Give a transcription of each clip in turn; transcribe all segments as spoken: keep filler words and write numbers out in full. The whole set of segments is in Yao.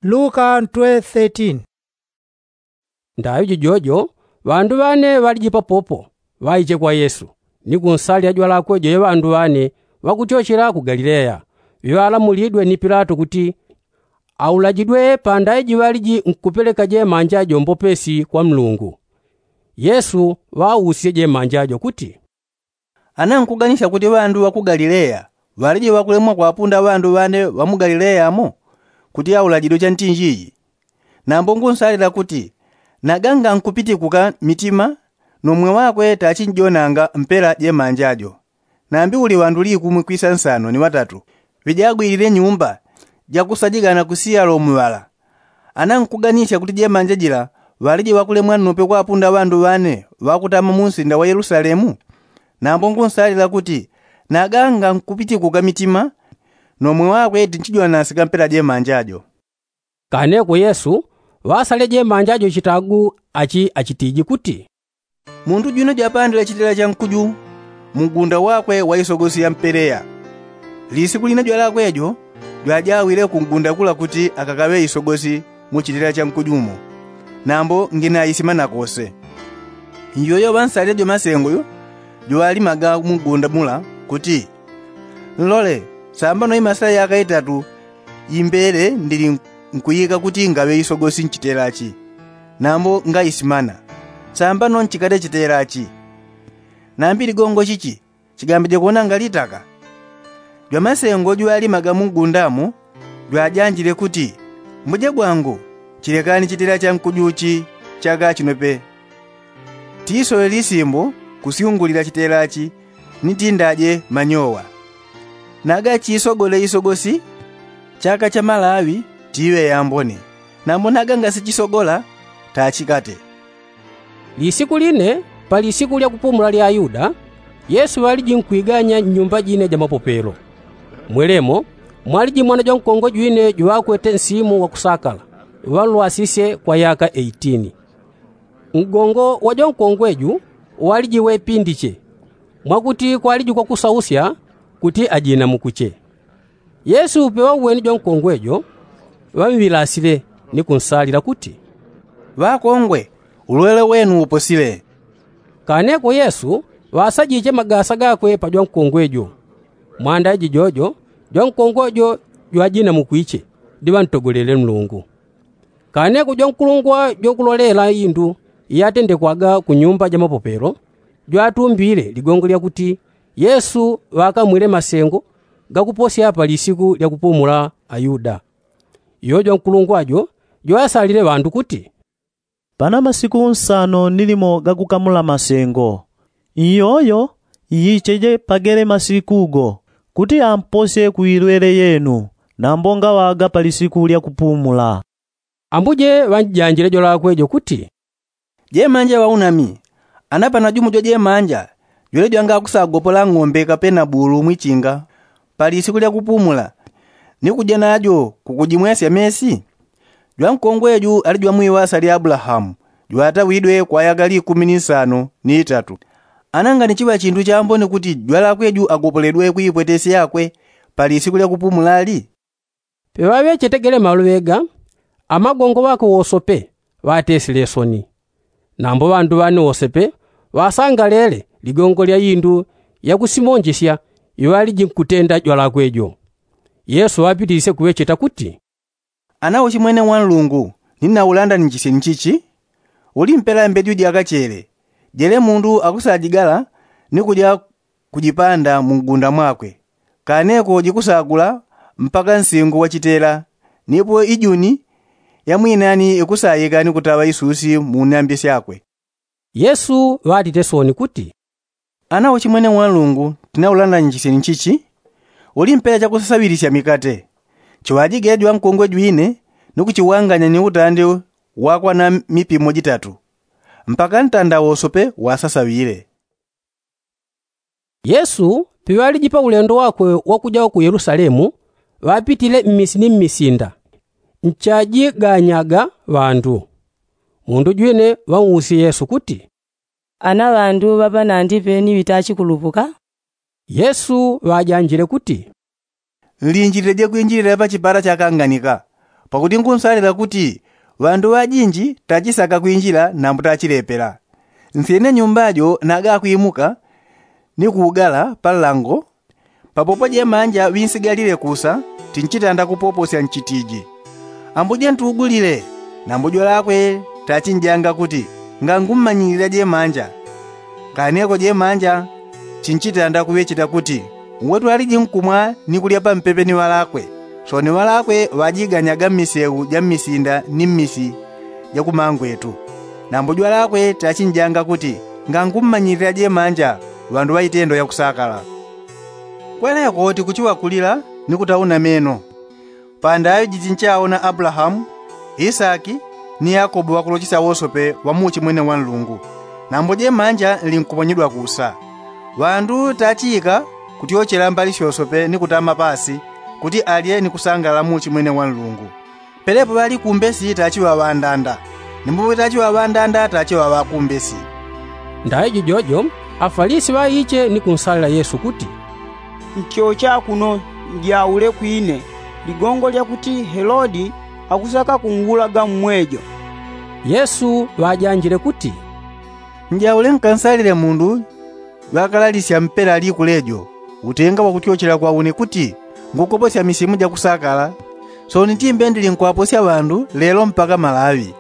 Luka ntwe thirteen. Ndaŵi jijojo ŵandu ŵane ŵaliji papopo, ŵaiche kwa yesu, ni kunsalila jwalakwe jo ye ŵandu ŵane, ŵakutyochela ku galileya, ŵiŵalamulidwe ni pilato kuti aulajidwe pandaye jiŵaliji nkupeleka jemanja jo mbopesi kwa mlungu. Yesu ŵausisye jemanja jo kuti, ana nkuganisya kuti ŵandu ŵa ku galileya ŵaliji ŵakulemwa kwapunda ŵandu ŵane ŵa mu galileya mo? Kuti aulajidwe chantinjiji. Nambo ngunsalila kuti naganga nkupitikuka mitima, no mwe wakwe tachinjonanga mpela jemanja jo. Nambi uli ŵandu likumwi kwisa nsano ni ŵatatu ŵijagwilile nyumba jakusajigana kusiya lomuŵala. Ana nkuganisya kuti jemanja jila ŵaliji ŵakulemwa nnope kwapunda ŵandu ŵane ŵakutama mu nsinda wa yelusalemu? Nambo ngunsalila kuti naganga nkupitikuka mitima, no mwe wakwe tinchijwanasika mpela jemanja jo. Kaneko yesu ŵasalile jemanja jo chitagu achi achitiji kuti, mundu jwino jwapandile chitela cha nkuju mu ngunda wakwe wa isogosi ya mpeleya. Lisiku line jwalakwe jo jwajawile ku ngunda kula kuti akakaŵe isogosi mu chitela cha nkuju mo. Nambo ngina isimana kose. Njojo ŵansalile jo masengo jo jwalimaga mu ngunda mula kuti, nlole, sambano imasila yaka itatu imbele ndili nkuyika kuti ngaŵe isogosi nchitelachi. Nambo ngaisimana, sambano nchikate chitelachi. Nambi ligongo chichi chigambije kuonanga litaka? Jwamasengo jwalimaga mu ngundamo jwajanjile kuti, mbuje bwangu, chilekani chitela cha nkuju chi chaka chinope. Tisowe lisimbo kusyungulila chitelachi ni tindaje manyowa. Naga chisogole isogosi chaka cha malaŵi tiŵe yambone. Nambo naga ngasichisogola tachikate. Lisiku line pa lisiku lya kupumula lya ayuda, yesu ŵaliji nkwiganya nnyumba jine ja mapopelo. Mwelemo mwaliji mwana jwankongwe jwine jwakwete nsimu wa kusakala, ŵalwasisye kwa yaka eighteen. Ngongo wa jwankongwe ju waliji wepindiche, mwakuti kwaliji kwakusausya kuti ajinamukuche. Yesu peŵauweni jwankongwe jo, ŵamwilasile ni kunsalila kuti, ŵakongwe, ulwele wenu uposile. Kaneko yesu ŵasajiche magasa gakwe pa jwankongwe jo. Mwanda ijijojo jwankongwe jo jwajinamukwiche, ndi ŵantogolele mlungu. Kaneko jwankulungwa jwakulolela indu iyatendekwaga ku nyumba ja mapopelo jwatumbile ligongo lyakuti yesu ŵakamwile masengo gakuposya pa lisiku lya kupumula ayuda. Iyo jwankulungwa jo jwasalile ŵandu kuti, pana masiku nsano ni limo gakukamula masengo. Iyoyo iyicheje pagele masiku go kuti amposye ku ilwele yenu, nambo ngaŵaga pa lisiku lya kupumula. Ambuje ŵanjanjile jwalakwe jo kuti, jemanja ŵaunami, ana pana jumo jwajemanja jwele jwangakusagopola ng'ombe kapena bulu mwichinga pa lisiku lya kupumula, ni kuja najo kukujimwesya mesi? Jwankongwe ju ali jwamwiŵasa lya abulahamu, jwatawidwe kwa yaka likumi ni nsano ni itatu. Ana nganichiŵa chindu chambone kuti jwalakwe ju agopoledwe ku ipwetesi yakwe pa lisiku lya kupumula li? Peŵaŵechetegele maloŵe ga, amagongo ŵakwe wosope ŵatesile soni. Nambo ŵandu ŵane wosope ŵasangalele ligongo lya indu yakusimonjesya iŵaliji nkutenda jwalakwe jo. Yesu ŵapitilisye kuŵecheta kuti, ana uchimwene wa nlungu, ni naulandanichisye ni chichi? Uli mpela mbeju jakachele jele mundu akusajigala ni kuja kujipanda mu ngunda mwakwe. Kaneko jikusagula mpaka nsingu wa chitela, nipo ijuni ya mwinani ikusayika ni kutaŵa isusi mu nyambi syakwe. Yesu ŵatite soni kuti, ana uchimwene wa nlungu, tinaulandanichisye ni chichi? Uli mpela chakusasaŵilisya mikate. Chiŵajige jwankongwe jwine ni kuchiwanganya ni utande wakwana mipimo jitatu mpaka ntanda wosope wasasaŵile. Yesu piŵaliji pa ulendo wakwe wakuja ku yelusalemu, ŵapitile mmisi ni mmisinda nchajiganyaga ŵandu. Mundu jwine ŵausye yesu kuti, ana ŵandu ŵapanandipe ni ŵitachikulupuka? Yesu ŵajanjile kuti, nlinjilileje kwinjilila pa chipata chakanganika. Pakuti ngunsalila kuti ŵandu ŵajinji tachisaka kwinjila nambo tachilepela. Nsyene nyumba jo naga kwimuka ni kuugala pa nlango. Papopo jemanja ŵinsigalile kusa, tinchitanda kupoposya nchitiji, ambuje ntugulile. Nambo jwalakwe tachinjanga kuti ngangummanyilila jemanja. Kaneko jemanja chinchitanda kuŵecheta kuti uwe twaliji nkumwa ni kulya pampepe ni ŵalakwe. Soni ŵalakwe ŵajiganyaga mmiseu ja mmisinda ni mmisi ja kumangwetu. Nambo jwalakwe tachinjanga kuti ngangummanyilila jemanja ŵandu ŵa itendo yakusakala. Kweleko tikuchiŵakulila ni kutauna meno. Pandaŵi jichinchaona abulahamu, isaki, ni yakobo ŵakulochesya wosope ŵa muuchi mwene wa nlungu. Nambo jemanja nlinkuponyedwa kusa. Ŵandu tachiika kutyochela mbali syosope ni kutama pasi kuti alye ni kusangalala muuchi mwene wa nlungu. Pelepo ŵalikumbesi tachiŵa ŵandanda, nimbo tachiŵa ŵandanda tachiŵa ŵakumbesi. Ndaŵi jijojo afalisi ŵaiche ni kunsalila yesu kuti, ntyocha kuno njaule kwine ligongo lyakuti helodi akusaka kungulaga mmwejo. Yesu ŵajanjile kuti, njaule nkansalile mundu jwakalalisya mpela liku lejo utenga wakutyochela kwa une kuti ngukoposya misimu jakusakala. Soni timbe ndilinkuŵaposya ŵandu lelo mpaka malaŵi.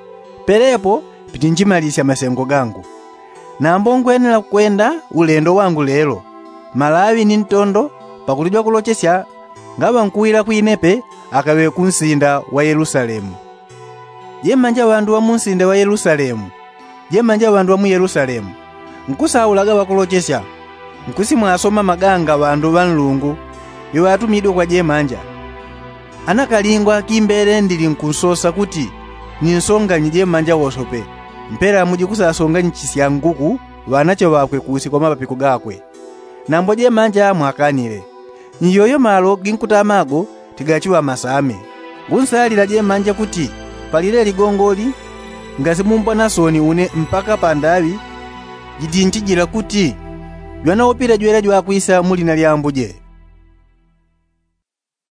Pelepo pitinjimalisya masengo gangu. Nambo ngwenela kwenda ulendo wangu lelo, malaŵi ni ntondo pakuti jwakulochesya ngaŵankuwila kwinepe akaŵe kunsinda wa yelusalemu. Jemanja ŵandu ŵa munsinda wa yelusalemu, jemanja ŵandu ŵa mu yelusalemu, nkusaulaga ŵakulochesya. Nkusimwasoma maganga ŵandu ŵa nlungu iŵatumidwe kwa jemanja. Ana kalingwa kimbele ndilinkunsosa kuti ninsonganyi jemanja wosope mpela mujikusasonganichisya nguku ŵanache ŵakwe kusi kwa mapapiko gakwe. Nambo jemanja mwakanile. Nyoyo malo ginkutamago tigachiŵa masame. Ngunsalila jemanja kuti palile ligongoli ngasimumbwa na soni une mpaka pandaŵi jitintijila kuti jwanaupile jwele jwakwisa mu lina lya ambuje.